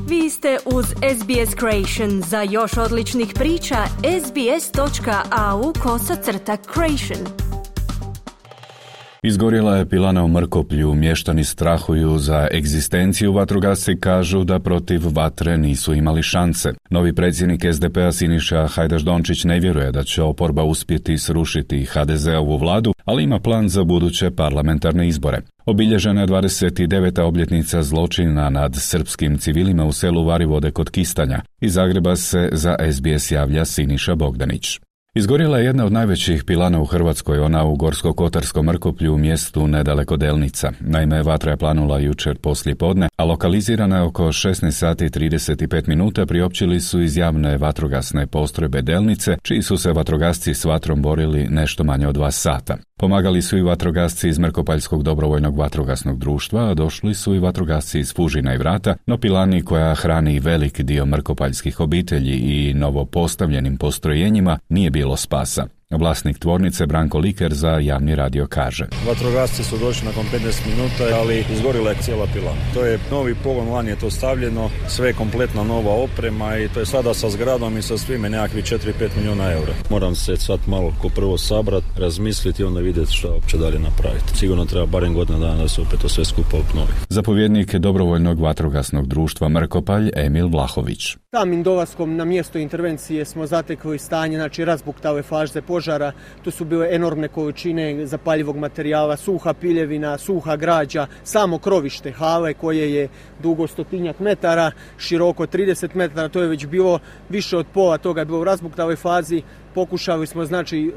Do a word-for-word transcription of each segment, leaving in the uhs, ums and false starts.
Vi ste uz S B S Creation. Za još odličnih priča, sbs.au kosacrta creation. Izgorjela je pilana u Mrkoplju, mještani strahuju za egzistenciju, vatrogasci kažu da protiv vatre nisu imali šanse. Novi predsjednik S D P-a Siniša Hajdaš-Dončić ne vjeruje da će oporba uspjeti srušiti H D Z-ovu vladu, ali ima plan za buduće parlamentarne izbore. Obilježena je dvadeset deveta obljetnica zločina nad srpskim civilima u selu Varivode kod Kistanja. Iz Zagreba se za S B S javlja Siniša Bogdanić. Izgorjela je jedna od najvećih pilana u Hrvatskoj, ona u Gorsko-kotarskom Mrkoplju u mjestu nedaleko Delnica. Naime, vatra je planula jučer poslije podne, a lokalizirana je oko šesnaest sati i trideset pet minuta, priopćili su iz javne vatrogasne postrojbe Delnice, čiji su se vatrogasci s vatrom borili nešto manje od dva sata. Pomagali su i vatrogasci iz Mrkopaljskog dobrovoljnog vatrogasnog društva, a došli su i vatrogasci iz Fužina i Vrata, no pilani koja hrani velik dio mrkopaljskih obitelji i novopostavljenim postrojenjima nije bilo spasa. Vlasnik tvornice Branko Liker za javni radio kaže: Vatrogasci su došli nakon petnaest minuta, ali izgorila je cijela pilana. To je novi pogon, lani je to stavljeno, sve je kompletna nova oprema i to je sada sa zgradom i sa svime nekakvi četiri do pet milijuna eura. Moram se sad malo ko prvo sabrat, razmisliti i onda vidjeti što uopće dalje napraviti. Sigurno treba barem godina dana da se opet to sve skupa obnovi. Zapovjednik dobrovoljnog vatrogasnog društva Mrkopalj Emil Vlahović: Samim dolaskom na mjesto intervencije smo zatekli stanje, znači razbuktale faze požara. To su bile enormne količine zapaljivog materijala, suha piljevina, suha građa, samo krovište hale koje je dugo stotinjak metara, široko trideset metara, to je već bilo više od pola toga je bilo u razbuktaloj fazi. Pokušali smo znači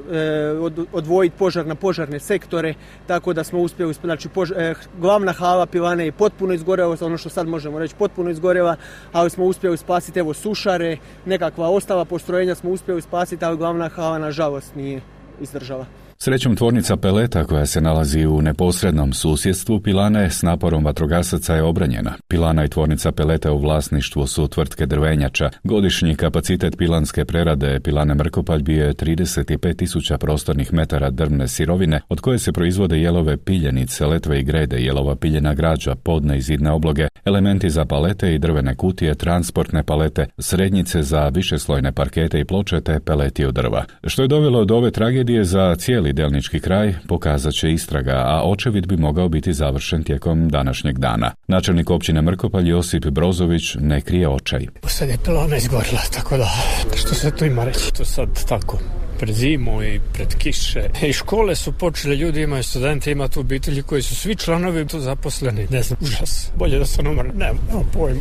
odvojiti požar na požarne sektore, tako da smo uspjeli, znači pož, eh, glavna hala pilane je potpuno izgorela, ono što sad možemo reći potpuno izgorela, ali smo uspjeli spasiti evo sušare, nekakva ostala postrojenja smo uspjeli spasiti, ali glavna hala nažalost nije izdržala. Srećom, tvornica peleta koja se nalazi u neposrednom susjedstvu pilane s naporom vatrogasaca je obranjena. Pilana i tvornica peleta u vlasništvu su tvrtke Drvenjača. Godišnji kapacitet pilanske prerade pilane Mrkopalj bio je trideset pet tisuća prostornih metara drvne sirovine, od koje se proizvode jelove piljenice, letve i grede, jelova piljena građa, podne i zidne obloge, elementi za palete i drvene kutije, transportne palete, srednjice za višeslojne parkete i ploče te peleti od drva. Što je dovelo do ove tragedije za cijeli delnički kraj, pokazat će istraga, a očevid bi mogao biti završen tijekom današnjeg dana. Načelnik općine Mrkopalj Josip Brozović ne krije očaj. Sad je pilana izgorila, tako da što se tu ima reći? To sad tako pred zimu i pred kiše. I škole su počele, ljudi imaju studenti, ima tu obitelji koji su svi članovi tu zaposleni. Ne znam, užas. Bolje da se numar, ne, nema pojma.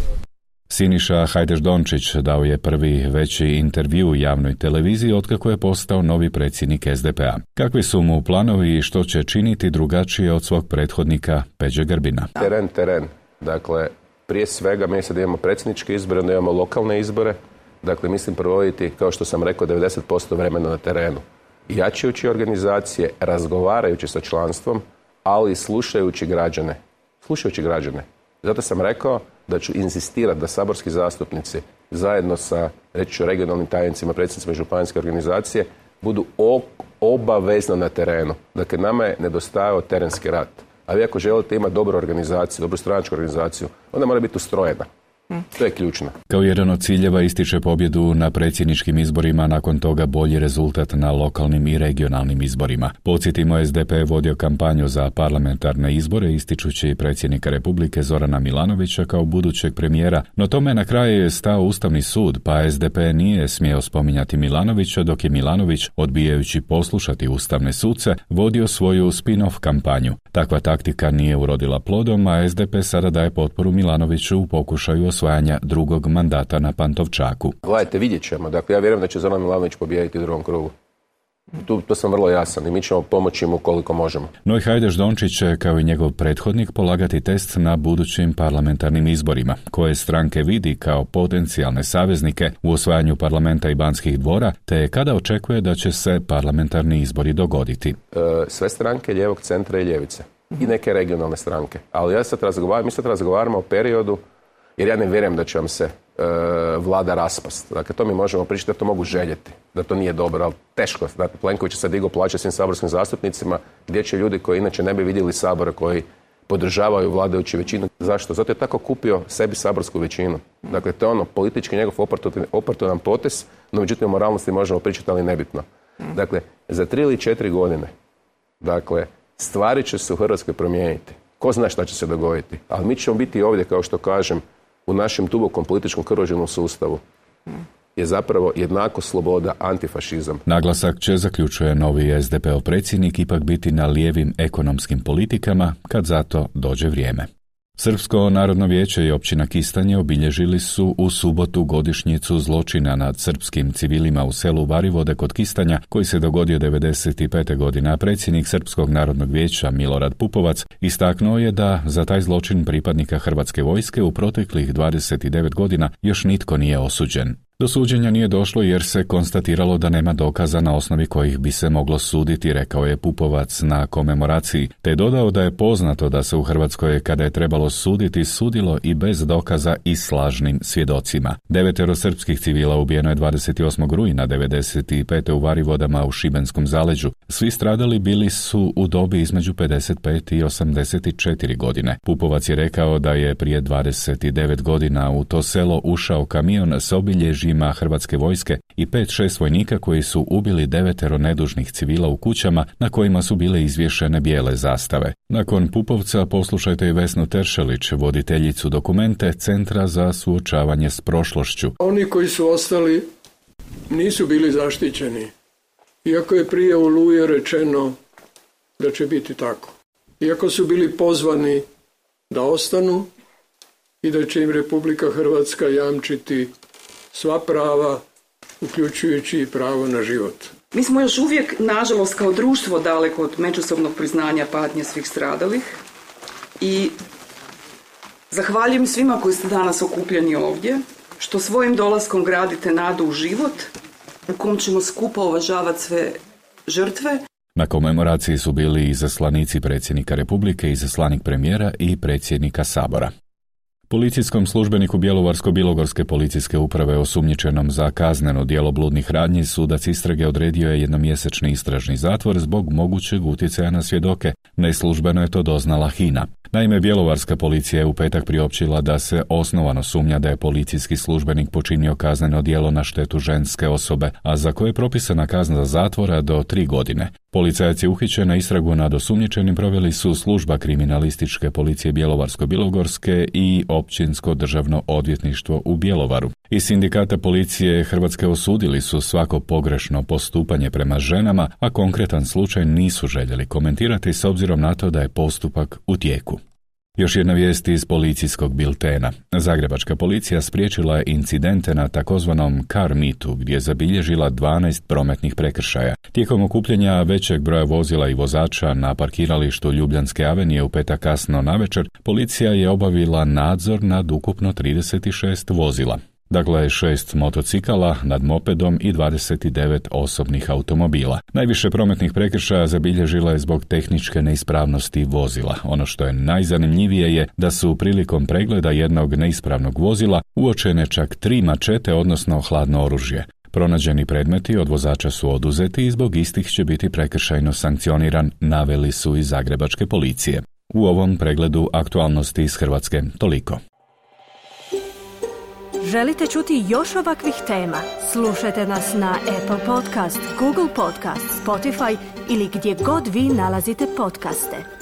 Siniša Hajdaš-Dončić dao je prvi veći intervju u javnoj televiziji otkako je postao novi predsjednik S D P-a. Kakvi su mu planovi i što će činiti drugačije od svog prethodnika Peđe Grbina? Teren, teren. Dakle, prije svega mi sad imamo predsjedničke izbore, onda imamo lokalne izbore. Dakle, mislim provoditi, kao što sam rekao, devedeset posto vremena na terenu. Jačajući organizacije, razgovarajući sa članstvom, ali slušajući građane. Slušajući građane. Zato sam rekao da ću inzistirati da saborski zastupnici zajedno sa, reći ću, regionalnim tajnicima, predsjednicima županijske organizacije budu obavezno na terenu. Dakle, nama je nedostajao terenski rad. A vi ako želite imati dobru organizaciju, dobru stranačku organizaciju, onda mora biti ustrojena. To je ključno. Kao jedan od ciljeva ističe pobjedu na predsjedničkim izborima, nakon toga bolji rezultat na lokalnim i regionalnim izborima. Podsjetimo, S D P je vodio kampanju za parlamentarne izbore, ističući predsjednika Republike Zorana Milanovića kao budućeg premijera, no tome na kraju je stao Ustavni sud, pa S D P nije smio spominjati Milanovića, dok je Milanović, odbijajući poslušati ustavne suce, vodio svoju spin-off kampanju. Takva taktika nije urodila plodom, a S D P sada daje potporu Milanoviću u pokušaju osvajanja drugog mandata na Pantovčaku. Gledajte, vidjet ćemo. Dakle, ja vjerujem da će Zoran Milanović pobijediti u drugom krugu. Tu, to sam vrlo jasan i mi ćemo pomoći mu koliko možemo. No i Hajdaš-Dončić će, kao i njegov prethodnik, polagati test na budućim parlamentarnim izborima, koje stranke vidi kao potencijalne saveznike u osvajanju parlamenta i Banskih dvora, te kada očekuje da će se parlamentarni izbori dogoditi. E, sve stranke lijevog centra i ljevice. I neke regionalne stranke. Ali ja sad razgovaram, mi sad razgovaramo o periodu, jer ja ne vjerujem da će vam se e, vlada raspast. Dakle, to mi možemo pričati da to mogu željeti, da to nije dobro, ali teško. Dakle, Plenković će sad digao plaće svim saborskim zastupnicima, gdje će ljudi koji inače ne bi vidjeli Sabora, koji podržavaju vladajuću većinu. Zašto? Zato je tako kupio sebi saborsku većinu. Dakle, to je ono politički njegov oportunan potez, no međutim o moralnosti možemo pričati, ali nebitno. Dakle, za tri ili četiri godine, dakle, stvari će se u Hrvatskoj promijeniti. Ko zna šta će se dogoditi. Ali mi ćemo biti ovdje, kao što kažem, u našem dubokom političkom krvožilnom sustavu je zapravo jednako sloboda, antifašizam. Naglasak će, zaključuje novi es de peov predsjednik, ipak biti na lijevim ekonomskim politikama kad za to dođe vrijeme. Srpsko narodno vijeće i općina Kistanje obilježili su u subotu godišnjicu zločina nad srpskim civilima u selu Varivode kod Kistanja, koji se dogodio devedeset pete godine, a predsjednik Srpskog narodnog vijeća Milorad Pupovac istaknuo je da za taj zločin pripadnika Hrvatske vojske u proteklih dvadeset devet godina još nitko nije osuđen. Do suđenja nije došlo jer se konstatiralo da nema dokaza na osnovi kojih bi se moglo suditi, rekao je Pupovac na komemoraciji, te dodao da je poznato da se u Hrvatskoj, kada je trebalo suditi, sudilo i bez dokaza i s lažnim svjedocima. Devetero srpskih civila ubijeno je dvadeset osmog rujna devedeset pete u Varivodama u Šibenskom zaleđu. Svi stradali bili su u dobi između pedeset pet i osamdeset četiri godine. Pupovac je rekao da je prije dvadeset devet godina u to selo ušao kamion s obilježjima Hrvatske vojske i pet šest vojnika koji su ubili devetero nedužnih civila u kućama na kojima su bile izvješene bijele zastave. Nakon Pupovca poslušajte i Vesnu Teršelić, voditeljicu dokumente Centra za suočavanje s prošlošću. Oni koji su ostali nisu bili zaštićeni, iako je prije Oluje rečeno da će biti tako. Iako su bili pozvani da ostanu i da će im Republika Hrvatska jamčiti sva prava, uključujući i pravo na život. Mi smo još uvijek, nažalost, kao društvo daleko od međusobnog priznanja patnje svih stradalih i zahvaljujem svima koji ste danas okupljeni ovdje, što svojim dolaskom gradite nadu u život u kom ćemo skupa uvažavati sve žrtve. Na komemoraciji su bili izaslanici predsjednika Republike, izaslanik premijera i predsjednika Sabora. Policijskom službeniku Bjelovarsko-bilogorske policijske uprave osumnjičenom za kazneno djelo bludnih radnji sudac istrage odredio je jednomjesečni istražni zatvor zbog mogućeg utjecaja na svjedoke. Neslužbeno je to doznala HINA. Naime, bjelovarska policija je u petak priopćila da se osnovano sumnja da je policijski službenik počinio kazneno djelo na štetu ženske osobe, a za koje je propisana kazna zatvora do tri godine. Policajac je uhićen, na istragu nad osumnjičenim proveli su služba kriminalističke policije Bjelovarsko-bilogorske i općinsko državno odvjetništvo u Bjelovaru. Iz sindikata policije Hrvatske osudili su svako pogrešno postupanje prema ženama, a konkretan slučaj nisu željeli komentirati s obzirom na to da je postupak u tijeku. Još jedna vijest iz policijskog biltena. Zagrebačka policija spriječila je incidente na takozvanom car meetu gdje je zabilježila dvanaest prometnih prekršaja. Tijekom okupljanja većeg broja vozila i vozača na parkiralištu Ljubljanske avenije u petak kasno navečer, policija je obavila nadzor nad ukupno trideset šest vozila. Dakle, šest motocikala nad mopedom i dvadeset devet osobnih automobila. Najviše prometnih prekršaja zabilježila je zbog tehničke neispravnosti vozila. Ono što je najzanimljivije je da su prilikom pregleda jednog neispravnog vozila uočene čak tri mačete, odnosno hladno oružje. Pronađeni predmeti od vozača su oduzeti i zbog istih će biti prekršajno sankcioniran, naveli su iz Zagrebačke policije. U ovom pregledu aktualnosti iz Hrvatske toliko. Želite čuti još ovakvih tema? Slušajte nas na Apple Podcast, Google Podcast, Spotify ili gdje god vi nalazite podcaste.